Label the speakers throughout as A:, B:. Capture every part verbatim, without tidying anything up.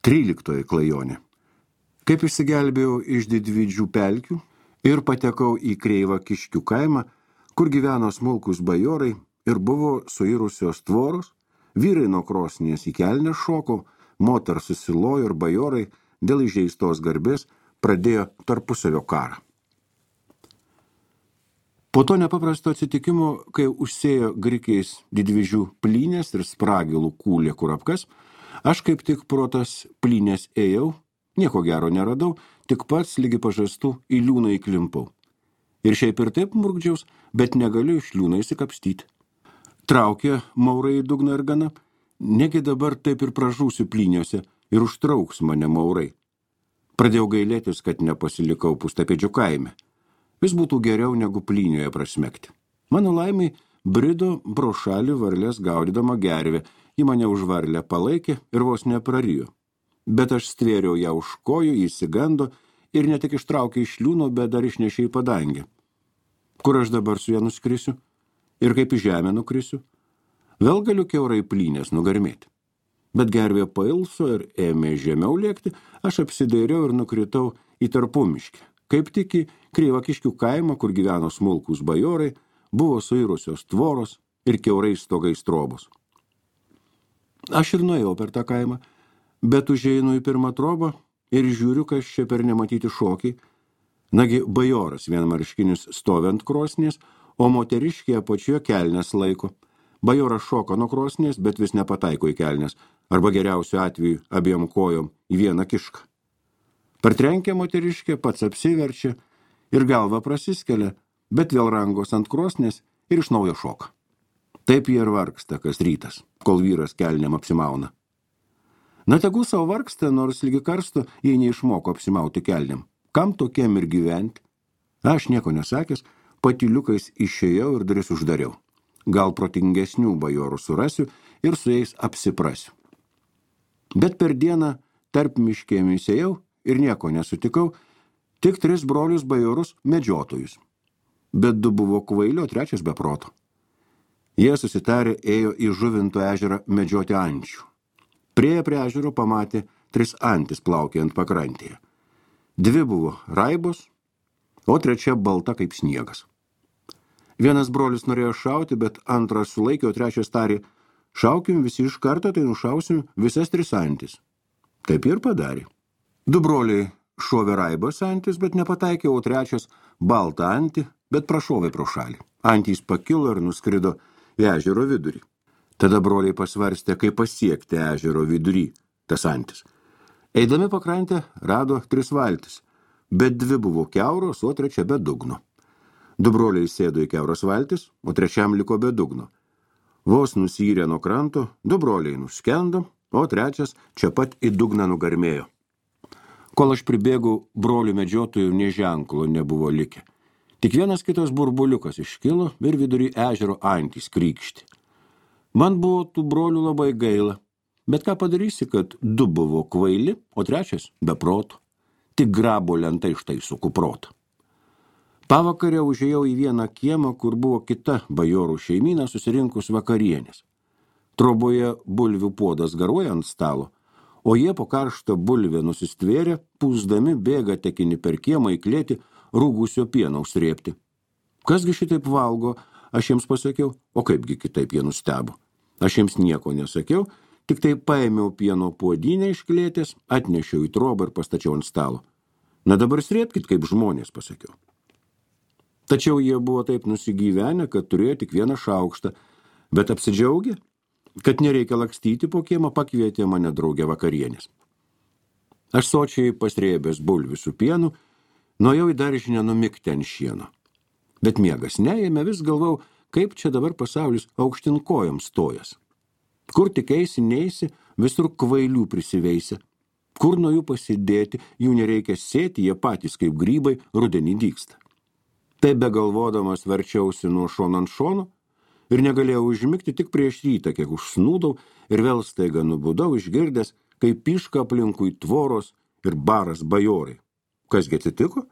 A: Tryliktoji klajonė. Kaip išsigelbėjau iš didvidžių pelkių ir patekau į Kreivą Kiškių kaimą, kur gyveno smulkus bajorai ir buvo suirusios tvoros, vyrai nuo krosnies į kelnes šoko, moters susilojo ir bajorai dėl įžeistos garbės pradėjo tarpusavio karą. Po to nepaprasto atsitikimo, kai užsėjo grikiais didvidžių plynės ir spragilų kūlė kurapkas, aš kaip tik pro tas plynės ėjau, nieko gero neradau, tik pats lygi pažastų į liūną įklimpau. Ir šiaip ir taip murgdžiaus, bet negaliu iš liūną įsikapstyti. Traukė maurai į dugną ir gana, negi dabar taip ir pražūsiu plyniuose ir užtrauks mane maurai. Pradėjau gailėtis, kad nepasilikau Pustapėdžių kaime. Vis būtų geriau negu plynioje prasmegti. Mano laimiai brido pro šalį varlės gaudydama gervę, ji mane už varlę palaikė ir vos neprarijo. Bet aš stvėriau ją už kojų, įsigando ir ne tik ištraukė iš liūno, bet dar išnešė į padangę. Kur aš dabar su ją nuskrisiu? Ir kaip į žemę nukrisiu? Vėl galiu kiaurai plynės nugarmėti. Bet gervė pailso ir ėmė žemiau lėkti, aš apsidairiau ir nukritau į Tarpumiškę. Kaip tik į Kreivą Kiškių kaimą, kur gyveno smulkus bajorai, buvo suirusios tvoros ir kiaurai stogais trobos. Aš ir nuėjau per tą kaimą, bet užeinu į pirmą trobą ir žiūriu, kas čia per nematyti šokiai. Nagi bajoras vienmarškinis stovi ant krosnies, o moteriškė apačioje kelnes laiko. Bajoras šoka nuo krosnies, bet vis nepataiko į kelnes, arba geriausiu atveju abiem kojom į vieną kišką. Partrenkia moteriškė, pats apsiverčia ir galva prasiskelia, bet vėl rangos ant krosnės ir iš naujo šoka. Taip jie ir vargsta kas rytas, kol vyras kelniam apsimauna. Na tegu savo vargsta, nors lygi karsto, jei neišmoko apsimauti kelniam. Kam tokiem ir gyventi? Aš nieko nesakęs, patyliukais išėjau ir duris uždariau. Gal protingesnių bajorų surasiu ir su jais apsiprasiu. Bet per dieną tarp miškėmis ėjau ir nieko nesutikau, tik tris brolius bajorus medžiotojus. Bet du buvo kvailio, trečias be proto. Jie susitarė ėjo į Žuvinto ežerą medžioti ančių. Prieję prie ežero pamatė tris antis plaukiant pakrantėje. Dvi buvo raibos, o trečia balta kaip sniegas. Vienas brolis norėjo šauti, bet antras sulaikė, o trečias tarė, šaukim visi iš karto, tai nušausim visas tris antis. Taip ir padarė. Du broliai šovė raibos antis, bet nepataikė, o trečias baltą antį, bet prašovė pro šalį. Antys pakilo ir nuskrido į ežero vidurį. Tada broliai pasvarstė, kaip pasiekti ežero vidurį tas antis. Eidami pakrantę rado tris valtis, bet dvi buvo kiauros, o trečia be dugno. Du broliai sėdo į kiauros valtis, o trečiam liko be dugno. Vos nusyrė nuo kranto, du broliai nuskendo, o trečias čia pat į dugną nugarmėjo. Kol aš pribėgau, brolių medžiotojų nė ženklo nebuvo likę. Tik vienas kitas burbuliukas iškilo ir vidury ežero antys krykšti. Man buvo tų brolių labai gaila, bet ką padarysi, kad du buvo kvaili, o trečias be proto. Tik grabo lentai štai su kuprotu. Pavakarę užėjau į vieną kiemą, kur buvo kita bajorų šeimyna susirinkus vakarienės. Troboje bulvių puodas garuoja ant stalo, o jie po karštą bulvę nusistvėrė, pūsdami bėga tekinį per kiemą į klėtį rūgusio pieno užsrėpti. Kasgi šitaip valgo, aš jiems pasakiau, o kaipgi kitaip jie nustebo. Aš jiems nieko nesakiau, tik tai paėmiau pieno puodynę iš klėtės, atnešiau į trobą ir pastačiau ant stalo. Na dabar srėpkit, kaip žmonės, pasakiau. Tačiau jie buvo taip nusigyvenę, kad turėjo tik vieną šaukštą, bet apsidžiaugė, kad nereikia lakstyti po kiemą, pakvietė mane draugę vakarienės. Aš sočiai pasrėbęs bulvių su pienu, nuėjau į daržinę numigti ant šieno. Bet miegas neėmė, vis galvau, kaip čia dabar pasaulis aukštin kojom stojas. Kur tik eisi, neisi, visur kvailių prisiveisia. Kur nuo jų pasidėti, jų nereikia sėti, jie patys kaip grybai rudenį dygsta. Taip begalvodamas verčiausi nuo šono ant šono ir negalėjau užmigti tik prieš rytą, kiek užsnūdau ir vėl staiga nubudau išgirdęs, kaip piška aplinkui tvoros ir baras bajorai. Kasgi atsitiko?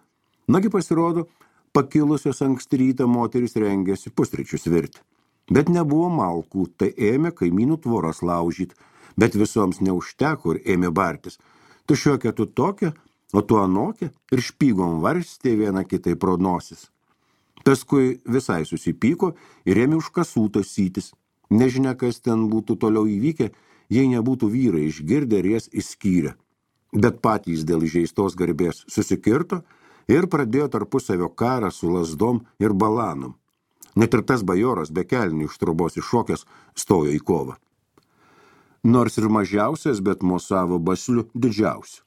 A: Nagi pasirodo, pakilusios anksti rytą moterys rengėsi pusryčius virti. Bet nebuvo malkų, tai ėmė kaimynų tvoras laužyt. Bet visoms neužteko ir ėmė bartis. Tu šiokia, tu tokia, o tu anokia, ir špygom varstė vieną kitai pro nosis. Paskui visai susipyko ir ėmė už kasų tasytis. Nežinia, kas ten būtų toliau įvykę, jei nebūtų vyrai išgirdę ir jas išskyrę. Bet patys dėl įžeistos garbės susikirto ir pradėjo tarpusavio karą su lazdom ir balanom. Net ir tas bajoras be kelnių iš trobos iššokęs stojo į kovą. Nors ir mažiausias, bet mosavo basliu didžiausiu.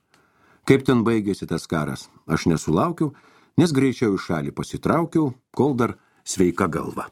A: Kaip ten baigėsi tas karas, aš nesulaukiau, nes greičiau į šalį pasitraukiau, kol dar sveika galva.